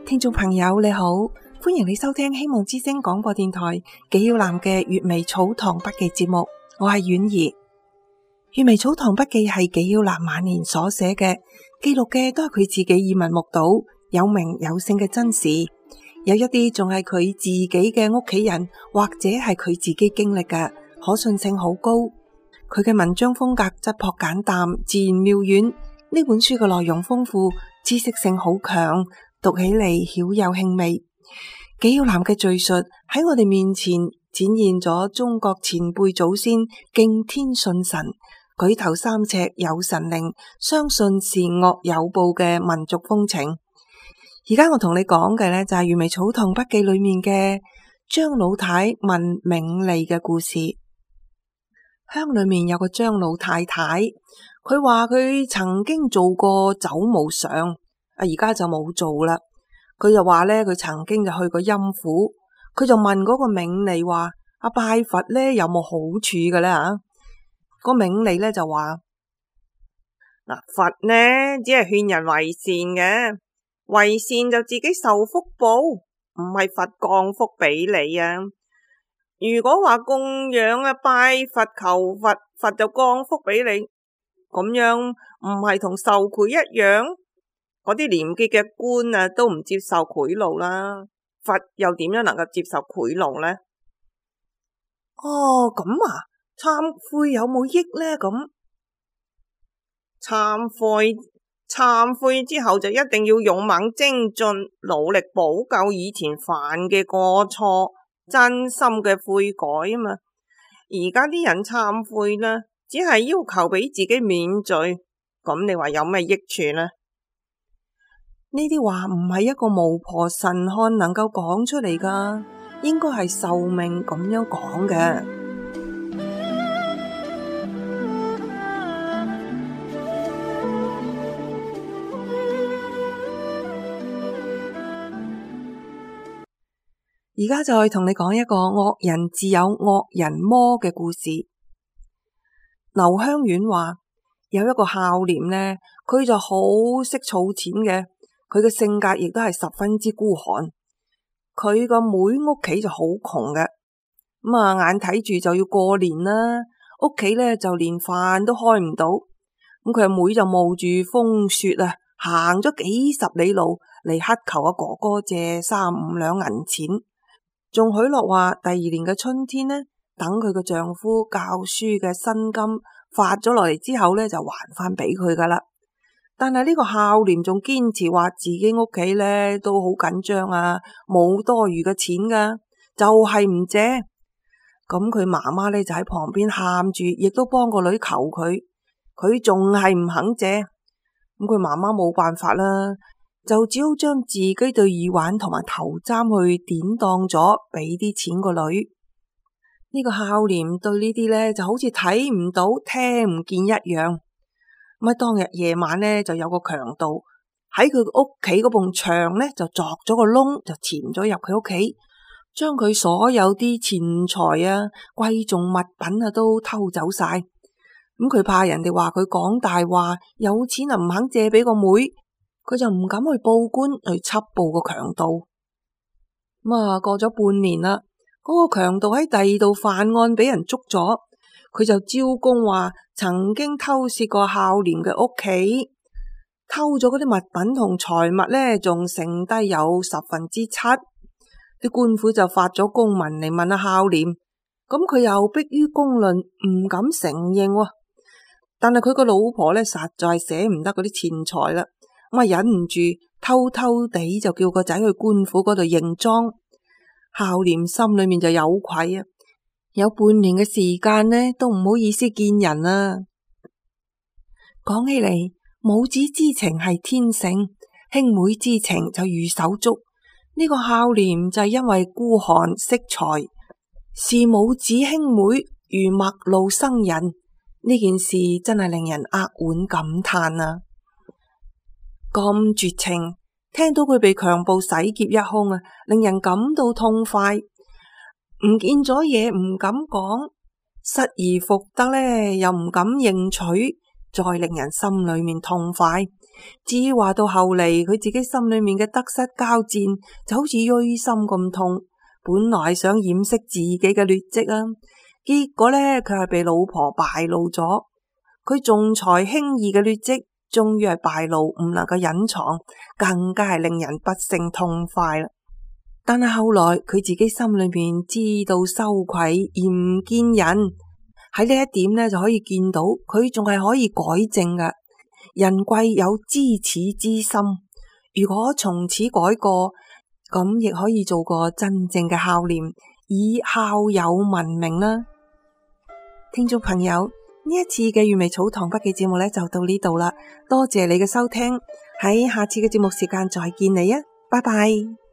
聽眾朋友你好，歡迎你收聽希望之聲廣播電台紀曉嵐嘅閱微草堂筆記節目，我係婉兒。閱微草堂筆記係紀曉嵐晚年所寫嘅，記錄嘅都係佢自己耳聞目睹、有名有姓嘅真事，有一啲仲係佢自己嘅屋企人或者係佢自己經歷嘅，可信性好高。佢嘅文章風格質樸簡淡，自然妙遠。呢本書嘅內容豐富，知識性好強，讀起嚟曉有興味。紀曉嵐嘅敘述喺我哋面前展現咗中國前輩祖先敬天信神、舉頭三尺有神靈、相信善惡有報嘅民族風情。而家我同你講嘅呢，就係閱微草堂筆記裏面嘅張老太問冥利嘅故事。鄉裏面有個張老太太，佢話佢曾經做過走墓上，而家就冇做啦。佢就話咧，佢曾經就去過陰府，佢就問嗰個冥利話：拜佛咧有冇好處嘅咧？個冥利咧就話：佛呢只係勸人為善嘅，為善就自己受福報，唔係佛降福俾你啊。如果話供養拜佛求佛，佛就降福俾你，咁樣唔係同受賄一樣？嗰啲廉潔嘅官都唔接受賄賂啦，佛又點樣能夠接受賄賂呢？咁啊，懺悔有冇益呢？咁懺悔之後就一定要勇猛精進，努力補救以前犯嘅過錯，真心嘅悔改啊嘛。而家啲人懺悔呢，只係要求俾自己免罪，咁你話有咩益處呢？呢啲話唔係一個巫婆神漢能夠講出嚟噶，應該係壽命咁樣講嘅。而家再同你講一個惡人自有惡人磨嘅故事。劉香苑話有一個孝廉呢，佢就好識儲錢嘅。佢嘅性格亦都係十分之孤寒，佢個妹屋企就好窮嘅，眼睇住就要過年啦，屋企咧就連飯都開唔到，佢阿妹就冒住風雪行咗幾十里路嚟乞求阿哥哥借3-5兩銀錢，仲許諾話第二年嘅春天呢，等佢個丈夫教書嘅薪金發咗落嚟之後咧，就還翻俾佢噶啦。但係呢個孝廉仲堅持話自己屋企咧都好緊張冇多餘嘅錢噶，就係唔借。咁佢媽媽咧就喺旁邊喊住，亦都幫個女求佢，佢仲係唔肯借。咁佢媽媽冇辦法啦，就只好將自己對耳環同埋頭簪去典當咗，俾啲錢個女。呢個孝廉對呢啲咧就好似睇唔到聽唔見一樣。當日夜晚呢，就有個強盜喺佢屋企嗰埲牆呢，就鑿咗個窿，就潛咗入佢屋企，將佢所有啲錢財貴重物品都偷走晒。佢怕人哋話佢講大話，有錢唔肯借俾個妹，佢就唔敢去報官去緝捕個強盜。過咗半年啦，嗰個強盜喺第二度犯案俾人捉咗，佢就招供話曾經偷竊過孝廉嘅屋企，偷咗嗰啲物品同財物呢，仲剩低有7/10。啲官府就發咗公文嚟問孝廉，咁佢又迫於公論唔敢承認。但係佢個老婆呢，實在捨唔得嗰啲錢財啦，忍唔住偷偷地就叫個仔去官府嗰度認贓。孝廉心裏面就有愧有半年嘅時間呢，都唔好意思見人啦。講起嚟，母子之情係天性，兄妹之情就如手足。呢個孝廉就係因為孤寒惜財，視母子兄妹如陌路生人，呢件事真係令人扼腕感嘆啊！咁絕情，聽到佢被強暴洗劫一空令人感到痛快。唔見咗嘢唔敢講，失而復得呢又唔敢認取，再令人心裏面痛快。至於話到後嚟，佢自己心裏面嘅得失交戰就好似錐心咁痛，本來想掩飾自己嘅劣跡啊，結果呢，佢係被老婆敗露咗，佢仲裁輕易嘅劣跡終於係敗露，唔能夠隱藏，更加係令人不勝痛快啦。但係後來佢自己心裏面知道羞愧而唔見人，喺呢一點呢，就可以見到佢仲係可以改正㗎。人貴有知恥之心，如果從此改過，咁亦可以做個真正嘅孝廉，以孝友聞名啦。聽眾朋友，呢一次嘅閱微草堂筆記節目呢，就到呢度啦，多謝你嘅收聽，喺下次嘅節目時間再見你啊，拜拜。